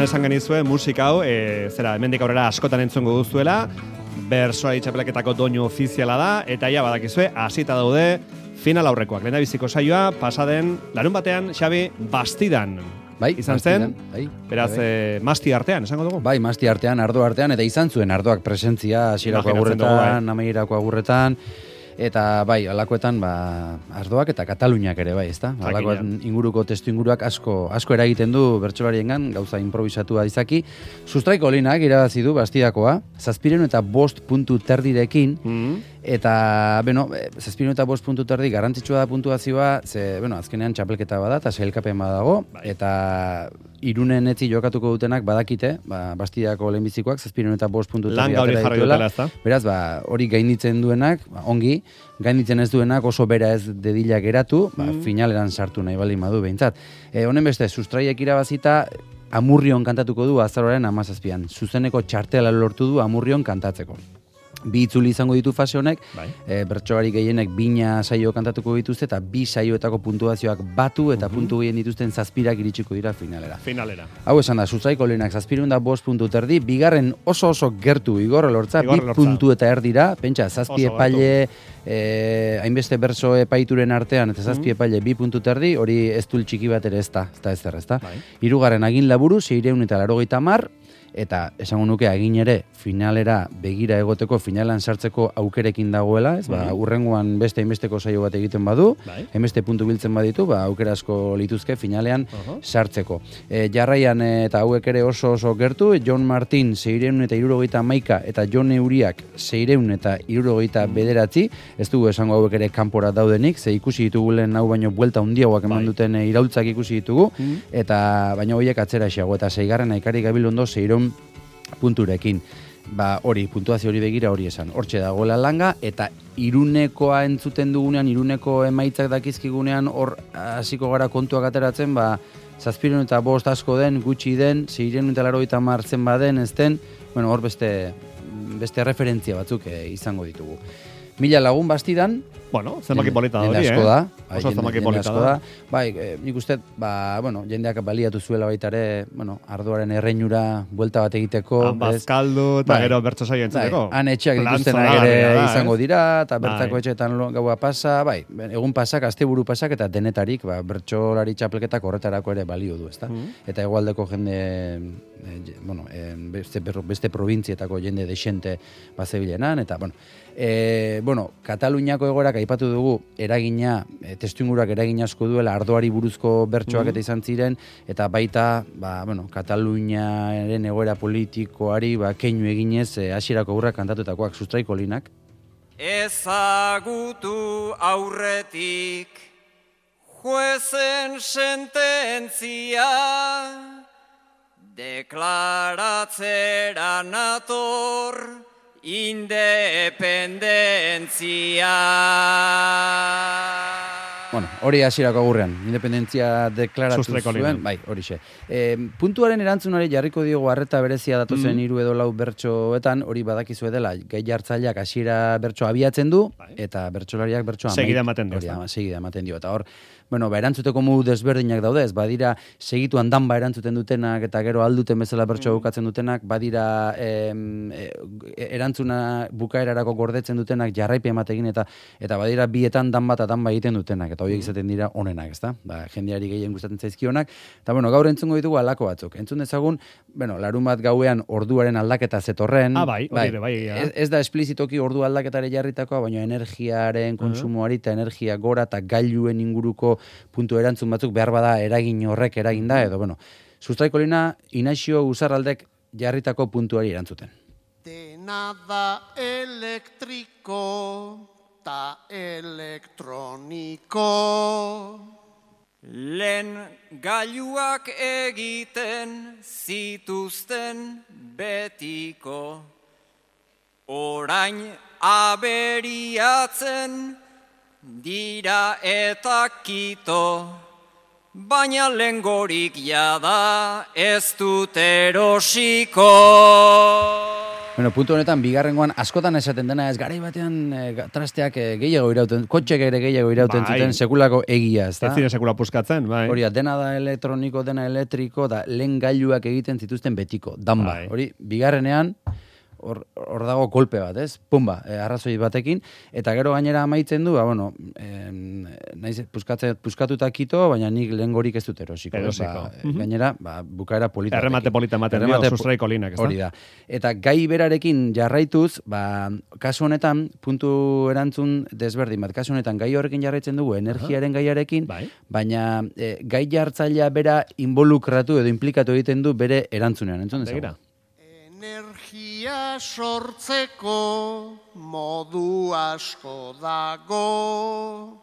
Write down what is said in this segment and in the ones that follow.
esan genizue musika hau, hemendik aurrera askotan entzungo duzuela, bersoari txapelaketako doinu ofiziala da, eta ja badakizue, hasita daude final aurrekoak. Lehendabiziko saioa, pasaden, larun batean, Xabi, Bastidan. Bai, izan zen, bai, beraz, masti artean, esango dugu? Bai, masti artean, ardo artean, eta izan zuen ardoak presentzia, hasierako agurretan, amaierako agurretan, eta bai, alakoetan, ardoak eta Kataluniak ere, bai, ezta? Alakoetan inguruko, testu inguruak asko eragiten du bertsolariengan, gauza improvisatua izaki. Sustraiko linak irabazi du Bastidakoa, 705 puntu terdirekin, eta, 705 puntu terdi garrantzitsua da puntuazioa, azkenean txapelketa bada, eta sailkapen badago, eta Irunen etzi jokatuko dutenak badakite, Bastidako lehenbizikoak 705 puntu terdi atera dituela. Beraz, hori gainditzen duenak, ongi, gainditzen ez duenak oso bera ez dedila geratu, finaleran sartu nahi baldin badu behintzat. Honen beste, sustraiek irabazita, Amurrion kantatuko du azaroaren 17an. Zuzeneko txartela lortu du Amurrion kantatzeko. Bi itzuli izango ditu fase honek, bertsolari gehienek bina saio kantatuko dituzte, eta bi saioetako puntuazioak batu, eta puntu gehien dituzten 7 iritsiko dira finalera. Hau esan da, Sustraiko lehenak 705 puntu terdi, bigarren oso gertu Igorre Lortza, 2 puntu eta erdira, pentsa, 7 epaile, hainbeste berso epaituren artean, eta 7 epaile 2 puntu terdi, hori ez dul txiki bat ere ez da. Hirugarren Agin Laburu, 680, eta esango nuke agin ere finalera begira egoteko, finalan sartzeko aukerekin dagoela, ez? Urrengoan beste hainbesteko saio bat egiten badu, hainbeste puntu biltzen baditu, aukera asko lituzke finalean sartzeko. Jarraian eta hauek ere oso gertu, Jon Martin 671 eta Jon Euriak 679, ez dugu esango hauek ere kanpora daudenik, ze ikusi ditugu lehen hau baino buelta handiagoak eman duten iraultzak ikusi ditugu, eta baino horiek atzera xago, eta 6. Ikari Gabilondo 600 punturekin. Hori, puntuazio hori begira hori esan. Hortxe dagoela langa, eta Irunekoa entzuten dugunean, Iruneko emaitzak dakizkigunean, hor hasiko gara kontuak ateratzen, 705 asko den, gutxi den, 680 zen baden, ez den, hor beste referentzia batzuk izango ditugu. 1000 lagun Bastidan, zenbaki polita da hori, oso zenbaki polita da. Nik uste, jendeak baliatu zuela baita ere, ardoaren erreinura buelta bat egiteko. Bazkaldu eta gero bertso saio entzuteko. Han etxeak dituztenak ere izango dira, eta bertako etxeetan gaua pasa, egun pasak, asteburu pasak, eta denetarik, bertsolari txapelketak horretarako ere balio du, ezta? Eta hegoaldeko jende, beste probintzietako jende desente bazebilenan, eta, Kataluniako egoerak aipatu dugu eragina, testuinguruak eragin asko duela ardoari buruzko bertsoak eta izan ziren, eta baita, Kataluniaren egoera politikoari keinu eginez hasierako aurrak kantatutakoak Sustraiko linak. Ezagutu aurretik juezen sententzia, deklaratzera nator independentzia. Hori hasierako agurrean, independentzia deklaratu zuen, horixe. Puntuaren erantzunari jarriko diogu harreta berezia datozen 3 edo 4 bertsoetan, hori badakizu dela, gai jartzaileak hasiera bertso abiatzen du, eta bertsolariak bertsoa segida ematen dio. Eta hor, erantzuteko modu desberdinak daude, ez badira segituan danba erantzuten dutenak, eta gero alduten bezala bertsoa bukatzen dutenak, badira erantzuna bukaerarako gordetzen dutenak jarraipen ematekin, eta badira bietan danba eta danba egiten dutenak, eta horiek izaten dira onenak, ezta? Jendeari gehien gustatzen zaizkionak, eta gaur entzungo ditugu halako batzuk. Entzun dezagun, larun bat gauean orduaren aldaketa zetorren. Ez da esplizitoki ordu aldaketare jarritakoa, baina energiaren konsumoari eta energia gora eta gailuen inguruko puntu erantzun batzuk behar bada eragin horrek eraginda, edo, Sustraiko lina Inaxio Uzarraldek jarritako puntuari erantzuten. Dena da elektriko ta elektroniko. Lehen gailuak egiten zituzten betiko, orain aberiatzen dira eta kito, baina lengorik jada ez dut erosiko. Bueno, puntu honetan, bigarrengoan, askotan esaten dena, ez garai batean trasteak gehiago irauten, kotxek ere gehiago irauten zuten sekulako egia, ez da? Ez zire sekula puskatzen, bai. Hori, dena da elektroniko, dena elektriko, da lehen gailuak egiten zituzten betiko, danba. Hori, bigarrenean, hor dago kolpe bat, ez? Pumba, arrazoi batekin, eta gero gainera amaitzen du, bueno, naiz puskatuta kito, baina nik lehen gorik ez dut erosiko. Gainera, bukaera polita. Erremate polita ematen dio, sustraiko linak, ez da? Hori da. Eta gai berarekin jarraituz, kasu honetan, puntu erantzun desberdin bat, kasu honetan gai horrekin jarraitzen dugu, energiaren gaiarekin, baina gai jartzailea bera involukratu edo implikatu egiten du bere erantzunean, entzun dezagun? Energia sortzeko modu asko dago.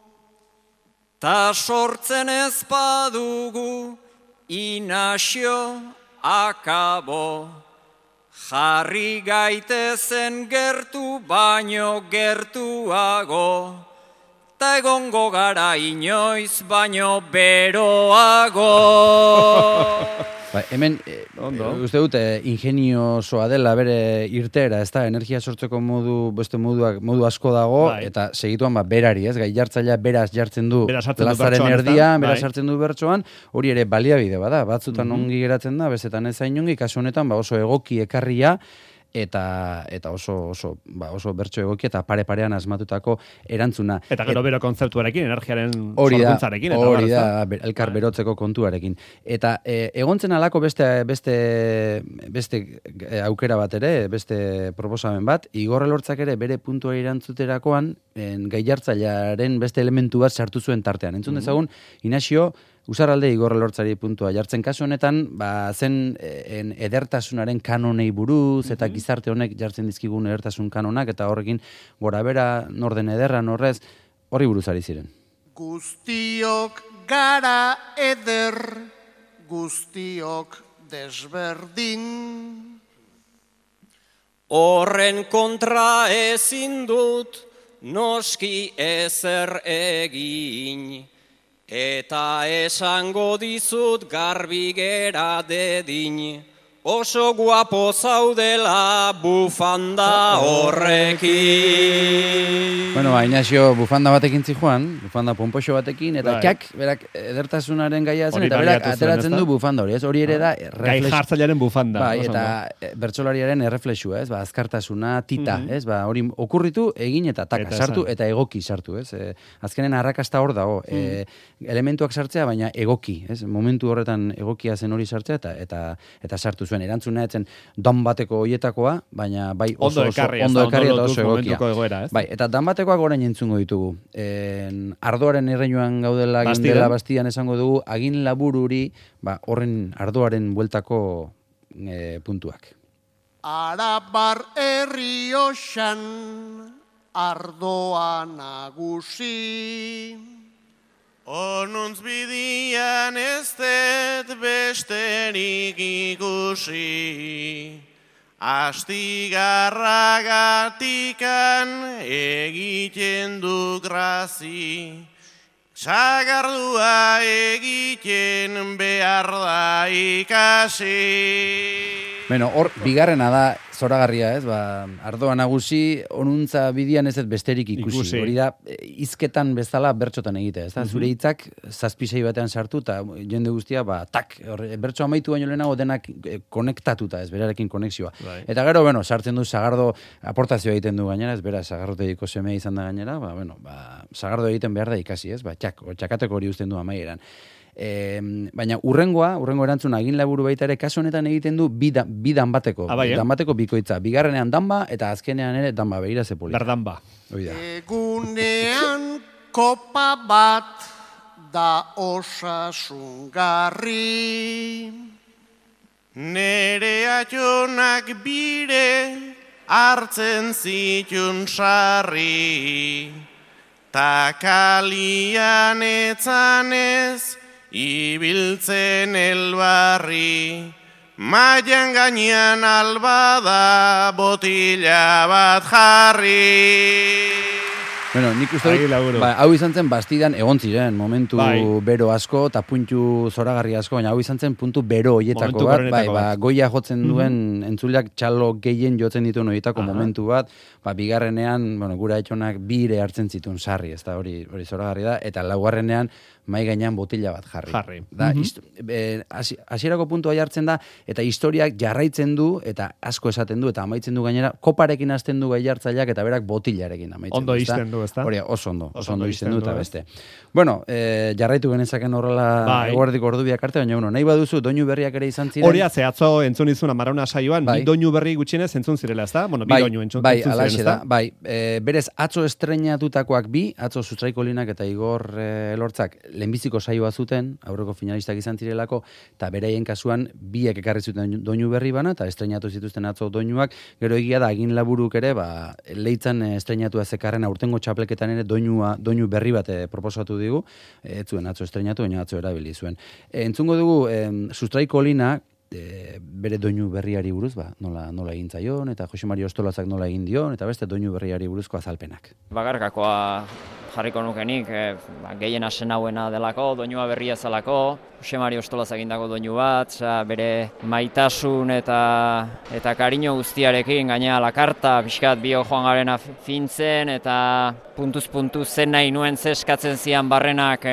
Ta sortzen ez badugu inazio akabo. Jarri gaitezen gertu baino gertuago. Ta egongo gara inoiz baino beroago. Hemen, uste dut, ingeniosoa dela bere irtera, ez da, energia sortzeko modu asko dago, eta segituan berari, ez, gai jartzailea beraz jartzen du plazaren erdian, beraz jartzen du bertsoan, hori ere baliabide bada, batzutan ongi geratzen da, bezetan ez zain ongi, kasu honetan oso egoki ekarria, eta oso bertso egoki eta pare-parean asmatutako erantzuna. Eta gero bero kontzeptuarekin, energiaren sorkuntzarekin. Hori da, elkar berotzeko kontuarekin. Eta egontzen alako beste aukera bat ere, beste proposamen bat, Igor Elortzak ere bere puntua erantzuterakoan, gai jartzailearen beste elementu bat sartu zuen tartean. Entzun dezagun, Inazio, Usarralde Igor Elortzari puntua jartzen kasu honetan, zen edertasunaren kanonei buruz, eta gizarte honek jartzen dizkigun edertasun kanonak, eta horrekin gorabera norden ederra norrez, horri buruz ari ziren. Guztiok gara eder, guztiok desberdin. Horren kontra ezin dut, noski ezer egin. Eta esango dizut garbi gera dedin, oso guapo zaudela bufanda horrekin. Bueno, Inazio bufanda batekin zijoan, bufanda pompoxo batekin, eta berak edertasunaren gaia zen, eta berak ateratzen du bufanda hori, ez? Hori ere da gai jartzailearen bufanda. Eta bertsolariaren erreflexua, ez? Azkartasuna, tita, ez? Hori okurritu, egin eta taka, sartu, eta egoki sartu, ez? Azkenen arrakasta hor dago, elementuak sartzea, baina egoki, ez? Momentu horretan egokia zen hori sartzea, eta sartu zuen. Erantzuna etzen dan bateko hoietakoa, baina bai oso ondo ekarri eta oso egokia. Bai, eta dan batekoak orain entzungo ditugu. Ardoaren erreinuan gaudela gindela Bastian esango dugu, agin labururi, horren ardoaren bueltako puntuak. Arabar Errioxan ardoa nagusi. Onuntz bidian ez dut besterik ikusi, astigarragatikan egiten du grazi, sagardua egiten behar da ikasi. Bueno, hor, bigarrena da, zoragarria, ez, ardoa nagusi, onuntza bidian ez besterik ikusi. Hori da, hizketan bezala bertxotan egitea, ez da, zure hitzak zazpisei batean sartu, eta jende guztia, bertxo amaitu baino lehenago denak konektatuta, ez, berarekin konexioa. Eta gero, sartzen du Sagardo aportazioa egiten du gainera, ez, bera, Sagardotegiko semea izan da gainera, Sagardo egiten behar da ikasi, ez, txakateko hori uzten du amaieran. Baina urrengo erantzuna egin laburu baita ere kasu honetan egiten du bidan bateko bikoitza, bigarrenean danba eta azkenean ere danba, begira ze polita. Berdanba. Egunean kopa bat da osasungarri, nere atxonak bire hartzen zitun sarri, ta kalian etzanez ibiltzen elbarri, maian gainean albada botila bat jarri. Bueno, nik uste dut, hau izan zen bastidan egon ziren, momentu bero asko, eta puntu zoragarri asko, baina hau izan zen puntu bero hoietako bat, goia jotzen duen entzuleak txalo gehien jotzen dituen horietako momentu bat, bigarrenean, gura etxonak bire hartzen zituen sarri, ez da hori zoragarri da, eta laugarrenean mai gainean botila bat jarri. Hasierako puntua jartzen da, eta historiak jarraitzen du, eta asko esaten du, eta amaitzen du gainera, koparekin hasten du gai jartzaileak, eta berak botilarekin amaitzen du. Ondo izten du, ezta? Hori, oso ondo izten du, eta beste. Bueno, jarraitu genezaken horrela eguerdiko ordubiak arte, baina nahi baduzu, doinu berriak ere izan ziren. Hori atzo entzun izun Amarauna saioan, bi doinu berri gutxienez entzun zirela, ezta? Bueno, bi doinu entzun ziren, ezta? Bai, berez, atzo estreinatutakoak bi, atzo Sustraiko Linak eta Igor Elortzak lehenbiziko saioa zuten, aurreko finalistak izan zirelako, eta beraien kasuan biek ekarri zuten doinu berri bana, eta estreinatu zituzten atzo doinuak, gero egia da, egin laburuk ere, leitzan estreinatu ezekarren aurtengo txapleketan ere doinu berri bat proposatu digu, ez zuen atzo estreinatu, baina atzo erabili zuen. Entzungo dugu, Sustraiko Linak, bere doinu berriari buruz, nola egin zaion, eta Jose Mari Ostolazak nola egin dion, eta beste doinu berriari buruzko azalpenak. Bakarkakoa jarriko nukenik, gehien asen hauena delako, doinua berria zelako, Jose Mari Ostolazak egindako doinu bat, bere maitasun eta kariño guztiarekin, gaina lakarta, pixkat bio joan garena fintzen, eta puntuz zen nahi nuen zeskatzen zian barrenak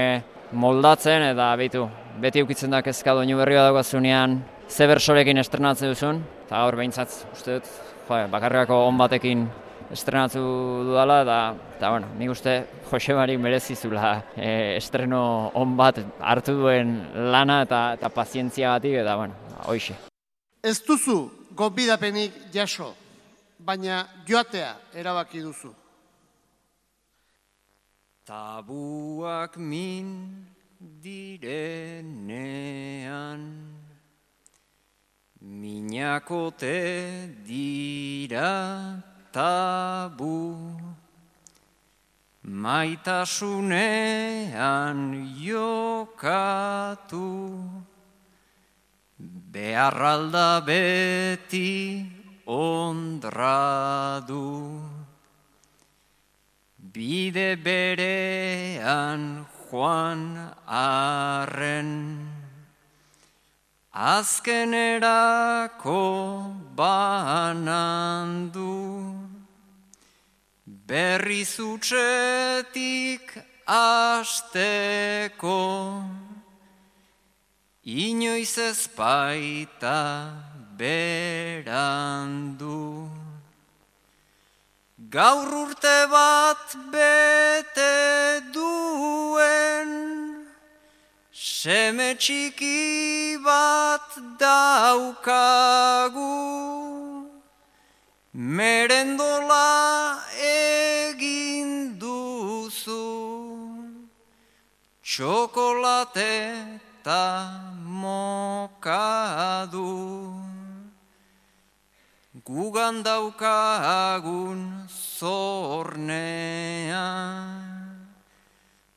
moldatzen, eta beti ukitzen da kezka doinu berri bat daukazunean, ze bersorekin estrenatzen duzun, eta gaur behintzat, uste dut, bakarrikako on batekin estrenatu dudala, eta nik uste Jose Mari merezizula estreno on bat hartu duen lana eta pazientziagatik, eta hoixe. Ez duzu gonbidapenik jaso, baina joatea erabaki duzu. Tabuak min direnean, minakote dira tabu, maitasunean jokatu, beharralda beti ondradu, bide berean joan arren, azkenerako banandu, berriz utxetik asteko, inoiz ez baita berandu. Gaur urte bat bete duen, seme txiki bat daukagu, merendola egin duzu, txokolate eta mokadu. Gugan daukagun zornea,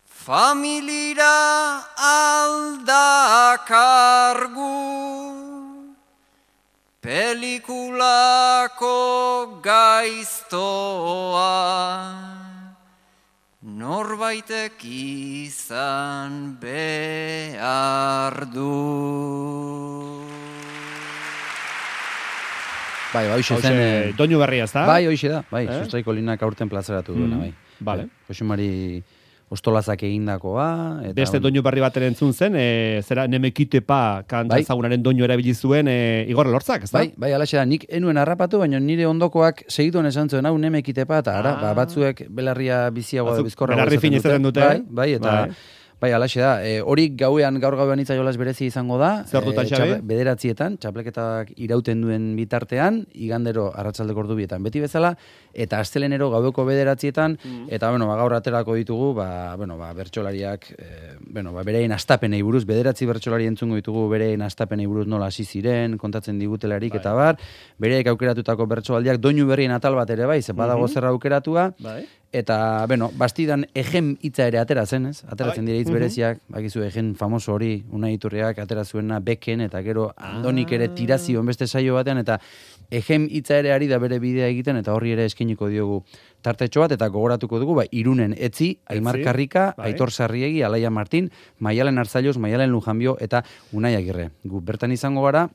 familira aldakargu, pelikulako gaiztoa, norbaitek izan behar du. Bai, hoxe zen... Doinu berria, ez da? Bai, hoxe da. Bai, Sustraiko Linak aurten plazaratu duena, bai. Vale. Jose Mari Ostolazak egindakoa. Beste doinu berri bat entzun zen, zera Nemekitepa kanta ezagunaren doinu erabili zuen Igor Elortzak, ez da? Bai, alaxe da. Nik enuen harrapatu, baina nire ondokoak segituen esan zuen, hau Nemekitepa, eta batzuek belarria biziagoa bizkorra. Belarri fin izaten dute. Bai, eta... Bai, alaxe da. Hori gaur gauean itzaiolaz berezi izango da. Zertutan, Xabi? 9:00 txapleketak irauten duen bitartean, igandero arratsaldeko ordubietan beti bezala, eta astelenero gaueko 9:00, eta gaur aterako ditugu, bertsolariak, bereien astapenei buruz, 9 bertsolari entzungo ditugu bereien astapenei buruz nola hasi ziren, kontatzen digutelarik eta bar, bereek aukeratutako bertsoaldiak doinu berrien atal bat ere bai, ze badago zerra aukeratua. Eta, bastidan egen hitza ere atera zen, ez? Ateratzen dira hitz bereziak, bakizu egen famoso hori, Unai Iturriak atera zuena beken, eta gero Andonik ere tirazio beste saio batean, eta egen hitza ere ari da bere bidea egiten, eta horri ere eskiniko diogu tartetxo bat, eta gogoratuko dugu, Irunen Etzi, Aimar Karrika, Aitor Sarriegi, Alaia Martin, Maialen Arzailos, Maialen Lujanbio, eta Unai Agirre. Gu bertan izango gara,